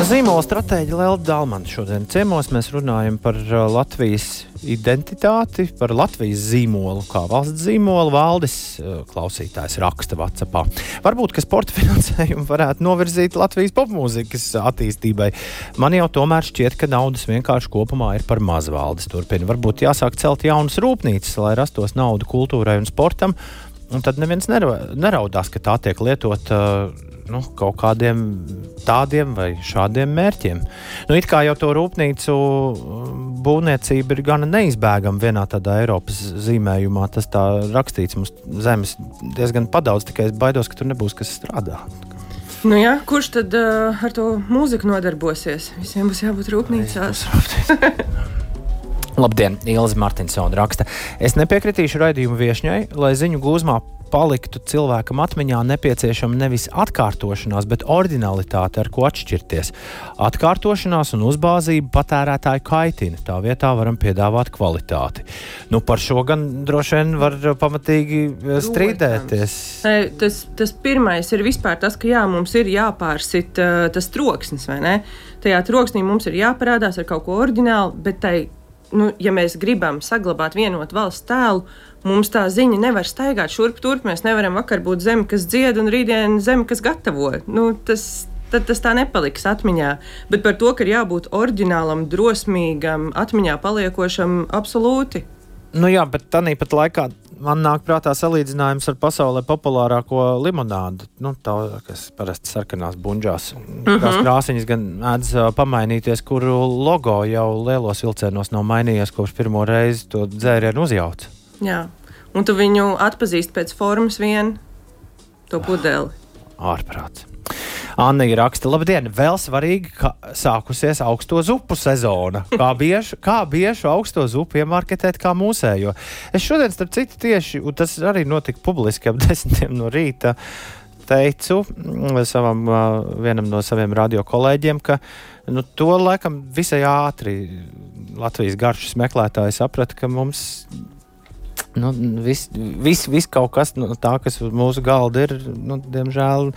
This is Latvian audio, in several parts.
Zīmola stratēģa Lelda Dalmana šodien ciemos. Mēs runājam par Latvijas identitāti, par Latvijas zīmolu, kā valsts zīmolu. Valdis klausītājs raksta WhatsAppā. Varbūt, ka sporta finansējumu varētu novirzīt Latvijas popmūzikas attīstībai. Man jau tomēr šķiet, ka naudas vienkārši kopumā ir par maz. Valdis turpina. Varbūt jāsāk celt jaunas rūpnīcas, lai rastos nauda kultūrai un sportam. Un tad neviens neraudās, ka tā tiek lietot kaut kādiem tādiem vai šādiem mērķiem. It kā jau to rūpnīcu būvniecība ir gana neizbēgama vienā tādā Eiropas zīmējumā. Tas tā rakstīts mums zemes diezgan padaudz, tikai es baidos, ka tur nebūs kas strādā. Nu jā, kurš tad ar to mūziku nodarbosies? Visiem būs jābūt rūpnīcās. Labdien, Ilze Martinsona raksta. Es nepiekritīšu raidījumu viešņai, lai ziņu gūzmā paliktu cilvēkam atmiņā nepieciešama nevis atkārtošanās, bet oriģinalitāte, ar ko atšķirties. Atkārtošanās un uzbāzība patērētāju kaitina. Tā vietā varam piedāvāt kvalitāti. Par šo gan droši vien var pamatīgi strīdēties. Tas pirmais ir vispār tas, ka mums ir jāpārsit tas troksnis, vai ne? Tajā troksnī mums ir jāparādās ar kaut ko oriģinālu, bet ja mēs gribam saglabāt vienotu valsts tēlu, mums tā ziņa nevar staigāt šurp turp. Mēs nevaram vakar būt zeme, kas dzied, un rītdien zeme, kas gatavo. Tas tā nepaliks atmiņā. Bet par to, ka ir jābūt oriģinālam, drosmīgam, atmiņā paliekošam, absolūti. Jā, bet tāpat laikā man nāk prātā salīdzinājums ar pasaulē populārāko limonādu. Tā, kas parasti sarkanās bunžās. Tās krāsiņas gan mēdz pamainīties, kuru logo jau lielos vilcienos nav mainījies, kopš pirmo reizi to dzērienu uzjauca. Jā, un tu viņu atpazīsti pēc formas vien, to pudeli. Ārprāts. Anna raksta, labdien, vēl svarīgi, ka sākusies augsto zupu sezona. Kā biežu augsto zupu iemarketēt kā mūsējo? Es šodien, starp citu, tieši, un tas arī notika publiski ap 10 no rīta, teicu vienam no saviem radio kolēģiem, ka to laikam visai ātri Latvijas garšas meklētāji saprata, ka mums viss kaut kas tā, kas uz mūsu galda ir, diemžēl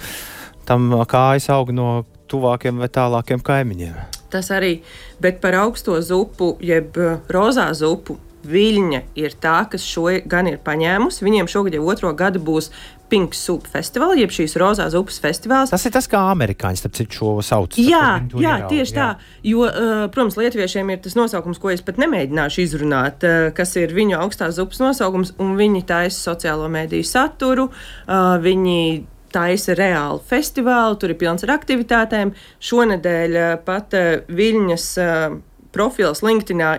tam kājas aug no tuvākiem vai tālākiem kaimiņiem. Tas arī, bet par augsto zupu, jeb rozā zupu, Viļņa ir tā, kas šo gan ir paņēmusi. Viņiem šogad jau 2. gadu būs Pink Soup Festival, jeb šīs rozā zupas festivāls. Tas ir tas, kā amerikāņi starp citu šo sauc. Tieši tā. Jo, protams, lietuviešiem ir tas nosaukums, ko es pat nemēģināšu izrunāt, kas ir viņu augstās zupas nosaukums, un viņi taisa sociālo mediju saturu, viņi taisa reālu festivālu, tur ir pilns ar aktivitātēm. Šonedēļ pat Viļņas profils LinkedInā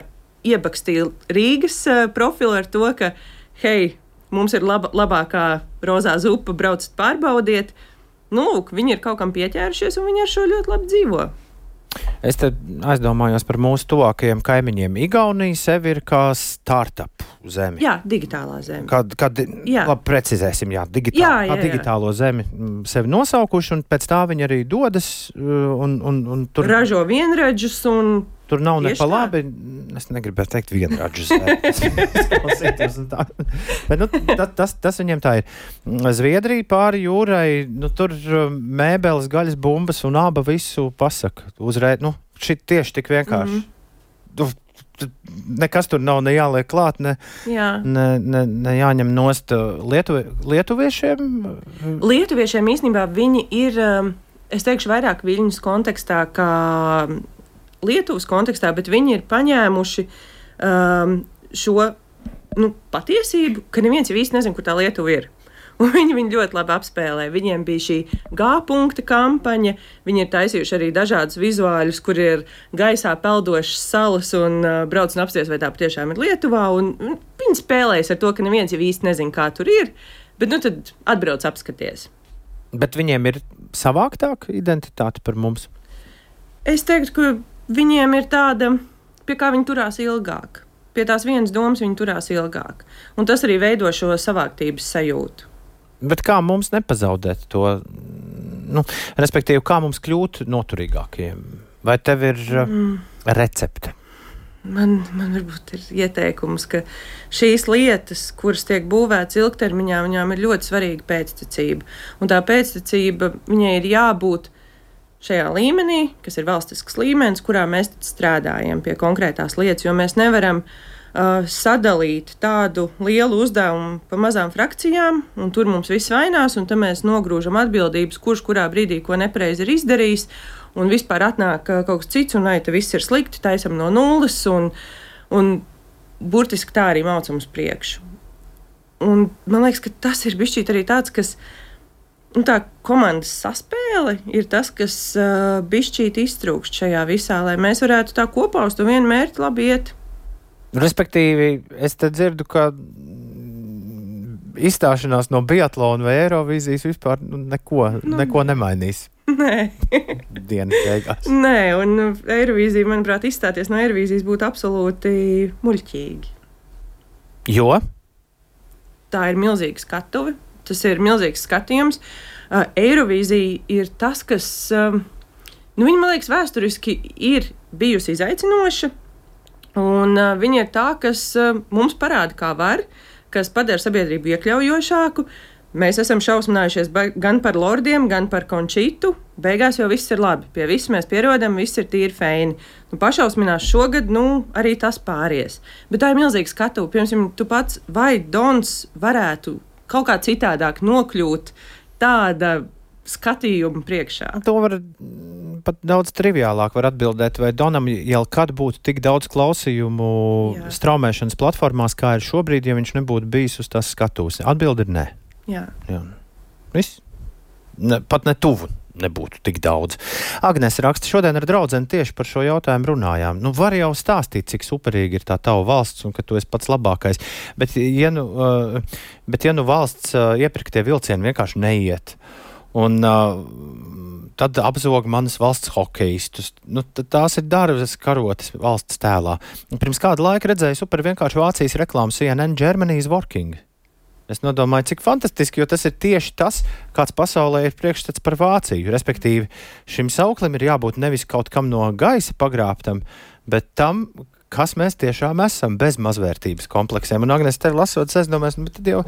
iebakstīja Rīgas profilu ar to, ka, hei, mums ir labākā rozā zupa, braucat pārbaudiet. Viņi ir kaut kam pieķērušies, un viņi ar šo ļoti labi dzīvo. Es te aizdomājos par mūsu tuvākajiem kaimiņiem. Igaunija sevi ir kā startup zemi. Jā, digitālā zeme. Labi, precizēsim, digitālo zemi sevi nosaukuši, un pēc tā viņi arī dodas un tur ražo vienradžus un tur nav ne pa labi, es negribētu teikt vienradžus. Bet tas viņiem tā ir. Zviedrija pāri jūrai, tur mēbeles, gaļas bumbas un aba visu pasaka. Uzreiz, šit tieši tik vienkārši. Nekas tur nav ne jāliek klāt, ne jāņem nost lietuviešiem. Lietuviešiem īstenībā viņi ir, es teikšu, vairāk Viļņas kontekstā kā Lietuvas kontekstā, bet viņi ir paņēmuši šo patiesību, ka neviens jau īsti nezina, kur tā Lietuva ir. Un viņi ļoti labi apspēlē. Viņiem bija šī G-punkta kampaņa, viņi ir taisījuši arī dažādus vizuāļus, kur ir gaisā peldošas salas un brauc un apsties, vai tā patiešām ir Lietuvā. Un viņi spēlējas ar to, ka neviens jau īsti nezina, kā tur ir, bet tad atbrauc apskaties. Bet viņiem ir savāktāka identitāte par mums? Es teiktu, ka viņiem ir tāda, pie kā viņi turās ilgāk. Pie tās vienas domas viņi turās ilgāk. Un tas arī veido šo savāktības sajūtu. Bet kā mums nepazaudēt to, respektīvi, kā mums kļūt noturīgākiem? Vai tev ir recepte? Man varbūt ir ieteikums, ka šīs lietas, kuras tiek būvētas ilgtermiņā, viņām ir ļoti svarīga pēctecība. Un tā pēctecība, viņai ir jābūt šajā līmenī, kas ir valstisks līmenis, kurā mēs strādājam pie konkrētās lietas, jo mēs nevaram sadalīt tādu lielu uzdevumu pa mazām frakcijām, un tur mums viss vainās, un tad mēs nogrūžam atbildības, kurš kurā brīdī ko nepareizi ir izdarījis, un vispār atnāk kaut kas cits, un te viss ir slikti, taisam no nulles, un burtiski tā arī maucam uz priekšu. Un man liekas, ka tas ir bišķīt arī tāds, kas, tā komandas saspēle ir tas, kas bišķīt iztrūkst šajā visā, lai mēs varētu tā kopā uz to vienu mērķi labi iet. Respektīvi, es te dzirdu, ka izstāšanās no biatlona vai Eirovīzijas vispār neko nemainīs. Nē. Dienas beigās. Nē, un Eirovīzija, manuprāt, izstāties no Eirovīzijas būtu absolūti muļķīgi. Jo? Tā ir milzīga skatuve, tas ir milzīgs skatījums. Eirovīzija ir tas, kas, viņa, man liekas, vēsturiski ir bijusi izaicinoša, un viņa ir tā, kas mums parāda, kā var, kas padara sabiedrību iekļaujošāku. Mēs esam šausminājušies gan par lordiem, gan par Končitu. Beigās jau viss ir labi. Pie viss mēs pierodam, viss ir tīri feini. Pašausminās šogad, arī tas pāries. Bet tā ir milzīga skatuve. Piemēram, tu pats vai Dons varētu kaut kā citādāk nokļūt tāda skatījuma priekšā? To var pat daudz triviālāk var atbildēt, vai Donam jau kad būtu tik daudz klausījumu straumēšanas platformās, kā ir šobrīd, ja viņš nebūtu bijis uz tās skatuves. Atbilde ir nē. Jā. Viss? Pat ne tuvu nebūtu tik daudz. Agnese raksta, šodien ar draudzeni tieši par šo jautājumu runājām. Var jau stāstīt, cik superīgi ir tā tava valsts un ka tu esi pats labākais. Bet ja nu valsts iepirktie vilcieni vienkārši neiet, un tad apzog manas valsts hokejistus. Tās ir darbas karotes valsts tēlā. Pirms kāda laika redzēju super vienkārši Vācijas reklāmu CNN Germany is working. Es nodomāju, cik fantastiski, jo tas ir tieši tas, kāds pasaulē ir priekšstats par Vāciju. Respektīvi, šim sauklim ir jābūt nevis kaut kam no gaisa pagrābtam, bet tam, kas mēs tiešām esam, bez mazvērtības kompleksiem. Un, Agnes, tev lasot, es domāju, bet tad jau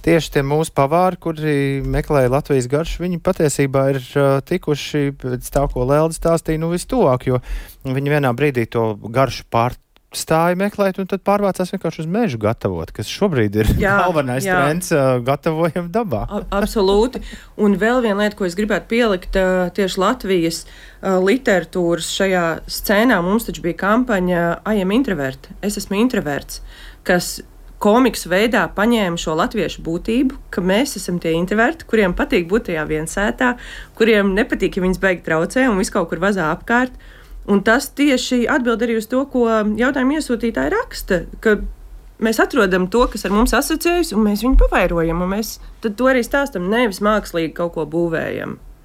tieši tie mūsu pavāri, kuri meklēja Latvijas garšu, viņi patiesībā ir tikuši pēc tā, ko Lelde stāstīja, vistuvāk, jo viņi vienā brīdī to garšu pārstāja meklēt, un tad pārvācās vienkārši uz mežu gatavot, kas šobrīd ir galvenais trends, gatavojam dabā. Absolūti. Un vēl viena lieta, ko es gribētu pielikt tieši Latvijas literatūras šajā scēnā, mums taču bija kampaņa I am introvert, es esmu introverts, kas komiks veidā paņēma šo latviešu būtību, ka mēs esam tie introverti, kuriem patīk būt tajā viensētā, kuriem nepatīk, ja viņas beigi traucē un visu kaut kur vazā apkārt. Un tas tieši atbild arī uz to, ko jautājumu iesūtītāji raksta, ka mēs atrodam to, kas ar mums asociējas, un mēs viņu pavairojam, un mēs tad to arī stāstam, nevis mākslīgi kaut ko būvējam.